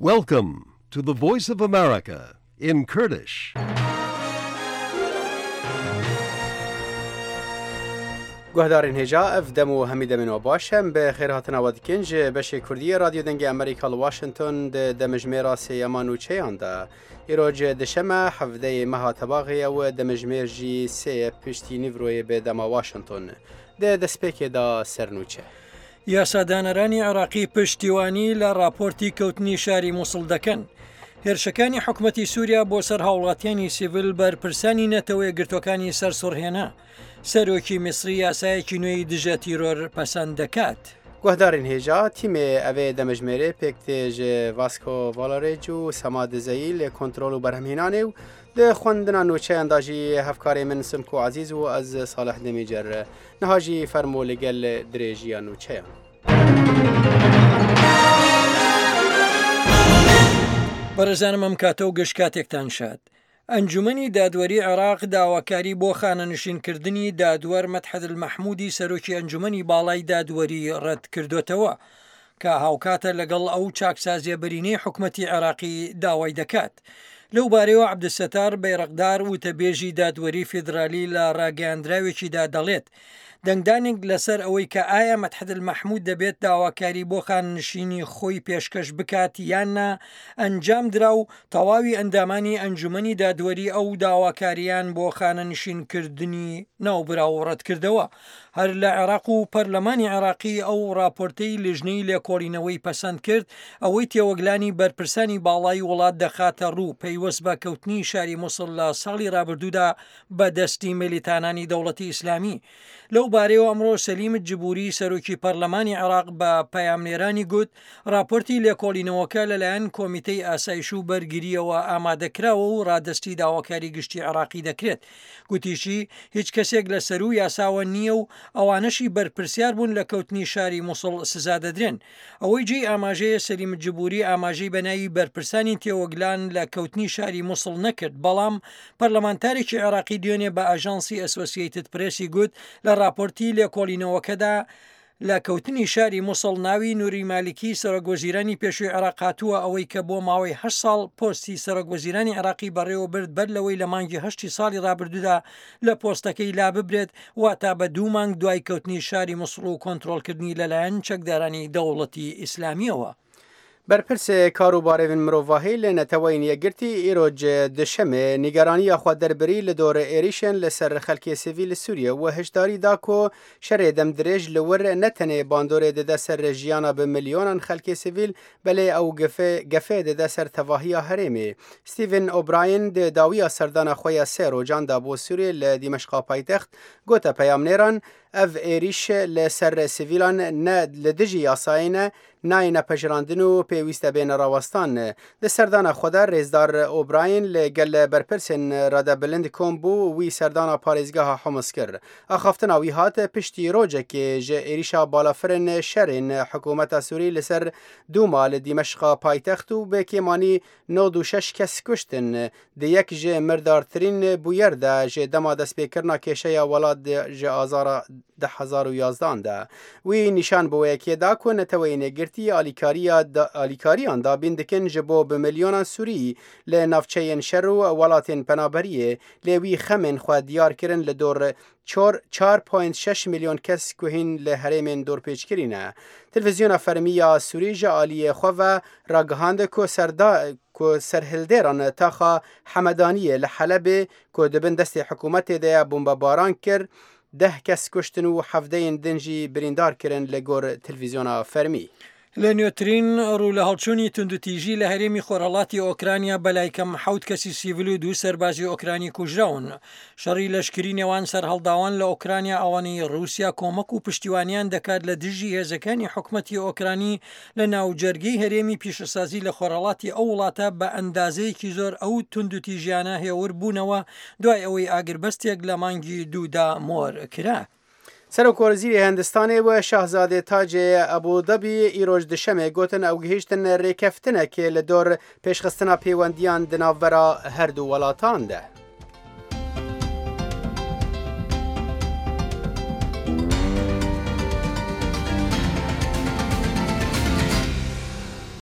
Welcome to the Voice of America in Kurdish. Guhdarên hêja ev dem û hemî demên we baş em bi xêrhatina we dikin ji beşê Kurdiyê Radyo Dengê Amerîka li Washington di demijmêra sêyema nûçeyan de. Îro ji dişeme hevdeyê meha tebaxê ye û demijmêr jî sê piştî nîvroyê bi dema Washington. Di destpêkê de ser nûçe. یاسادانەرانی عێراقی پشتیوانی لە ڕاپۆرتی کەوتنی شاری موسڵ دەکەن. هێرشەکانی حکومەتی سووریا بۆ سەر هاوڵاتیانی سیڤل بەرپرسانی نەتەوە یەکگرتووەکانی سەرسوڕهێنا. سەرۆکی میسری یاسایەکی نوێی دژە تیرۆر پەسەند دەکات. Guhdarên hêja, tîmê evê demijmêrê pêk tê ji Vasco Valarêc û Sema Dizeyî li kontrol û berhemhênanê û Di xwendina nûçeyan de jî hevkarê min Simko Ezîz û ez Salih Demîcer. Niha jî fermo li gel dirêjiya nûçeyan. بەڕێزانم ئەم کاتە و گشت کاتێکتان شاد. ئەنجومەنی دادوەری عێراق داواکاری بۆ خانەنشینکردنی دادوەر مەدحەت المەحمودی سەرۆکی ئەنجومەنی باڵای دادوەری ڕەتکردۆتەوە. کە هاوکاتە لەگەڵ ئەو چاکسازیە بەرینەی حکومەتی عێراقی داوای دەکات. لەو بارەیەوە عەبدولستار بەیرەقدار وتەبێژی دادوەری فیدرالی لە ڕاگەیاندراوێکیدا دەڵێت، دەنگدانێک لەسەر ئەوەی کە ئایا مەدحەت المەحمود دەبێت داواکاری بۆ خانەنشینی خۆی پێشکەش بکات یان نا ئەنجامدرا و تەواوی ئەندامانی ئەنجومەنی دادوەری ئەو داواکارییان بۆ خانەنشینکردنی ناوبراو ڕەتکردەوە. هەر لە عێراق و پەرلەمانی عێراقی ئەو ڕاپۆرتەی لیژنەی لێکۆڵینەوەی پەسەند کرد، ئەوەی تێوەگلانی بەرپرسانی باڵای وڵات دەخاتە ڕوو پەیوەست بە کەوتنی شاری موسڵ لە ساڵی ڕابردوودا بە دەستی میلیتانانی دەوڵەتی ئیسلامی. لەو بارەیەوە ئەمڕۆ سەلیم جبوری سەرۆکی پەرلەمانی عێراق بە پەیامنێرانی گوت، ڕاپۆرتی لێکۆڵینەوەکە لەلایەن کۆمیتەی ئاسایش و بەرگرییەوە ئامادەکراوە و ڕادەستی داواکاری گشتی عێراقی دەکرێت. گوتیشی، هیچ کەسێک لە سەروو یاساوە نییە و ئەوانەشی بەرپرسیار بوون لە کەوتنی شاری موسڵ سزا دەدرێن. ئەوەی جێی ئاماژەیە سەلیم جبوری ئاماژەی بە ناوی بەرپرسانی تێوەگلان لە کەوتنی شاری موسڵ نەکرد، بەڵام پەرلەمانتارێکی عێراقی دوێنێ بە ئاژانسی ئەسۆسیەیتد پرێسی گوت، لە ڕاپۆرتی لێکۆڵینەوەکەدا لە کەوتنی شاری موسڵ ناوی نوری مالیکی سەرۆک وەزیرانی پێشووی عێراق هاتووە، ئەوەی کە بۆ ماوەی هەشت ساڵ پۆستی سەرۆک وەزیرانی عێراقی بەڕێوە برد بەر لەوەی لە مانگی هەشتی ساڵی ڕابردوودا لە پۆستەکەی لاببرێت، واتا بە دوو مانگ دوای کەوتنی شاری موسڵ و کۆنترۆڵکردنی لەلایەن چەکدارانی دەوڵەتی ئیسلامییەوە. Berpirsê karûbarên mirovahî li Neteweyên Yekgirtî îro Duşemê nîgeraniya xwe derbirî li dor êrîşên li ser xelkê sivîl li Sûriyê û hişdarî da ku şerê demdirêj li wir ne tenê bandorê dide ser jiyana bi milyonan xelkê sivîl belê ew gefê dide ser tevahiya herêmê. Stephen O'Brien di dawiya serdana xwe ya sê rojan de bo Sûriyê li Dîmeşqa paytext gote peyamnêran, Ev êrîş li ser sivîlan ne li dijî yasayê ne, nayêne pejirandin û pêwîst e bêne rawestan. Di serdana xwe de rêzdar O'Brien li gel berpirsên radebilind kom bû û wî serdana parêzgeha Humus kir. Axaftina wî hat piştî rojekê ji êrîşa balafirên şerên hikûmeta Sûrî li ser Dûma li Dîmeşqa paytext û bi kêmanî 96 kes kuştin. Di yek ji mirdartirîn bûyer de ji dema destpêkirina kêşeya welat ji azara 2011 an de. Wî nîşan bi wê yekê da ku Neteweyên Yekgirtî alîkariya alîkariyan dabîn dikin ji bo bi milyonan Sûrî li navçeyên şer û welatên penaberiyê lê wî xemên xwe diyar kirin li dor çor 4.6 milyon kes ku hîn li herêmên dorpêçkirî ne. Televîzyona fermî ya Sûrî ji aliyê xwe ve ragihand ku serda ku serhildêran taxa Hemedaniyê li Helebê ku di bin destê hikûmetê de ye bombebaran kir, deh kes kuştin û hevdeyên din jî birîndar kirin li gor televîzyona fermî. لە نوێترین ڕوولەهەڵچوونی توندوتیژی لە هەرێمی خۆرهەڵاتی ئۆکرانیا بەلایکەم حەوت کەسی سیڤل و دوو سەربازی ئۆکرانی کوژراون. شەڕی لەشکری نێوان سەرهەڵداوان لە ئۆکرانیا ئەوانەی ڕووسیا کۆمەک و پشتیوانیان دەکات لە دژی هێزەکانی حکومەتی ئۆکرانی لە ناوجەرگەی هەرێمی پیشەسازی لە خۆرهەڵاتی ئەو وڵاتە بە ئەندازەیەکی زۆر ئەو توندوتیژیانە هێور بوونەوە دوای ئەوەی ئاگربەستێک لە مانگی دوودا مۆر کرا. Serokwezîrê Hindistanê û Şahzadê Tacê Ebû Dabî îroj Duşemê gotin ew gihîştin rêkeftinekê li dor pêşxistina pêwendiyan di navbera her du welatan de.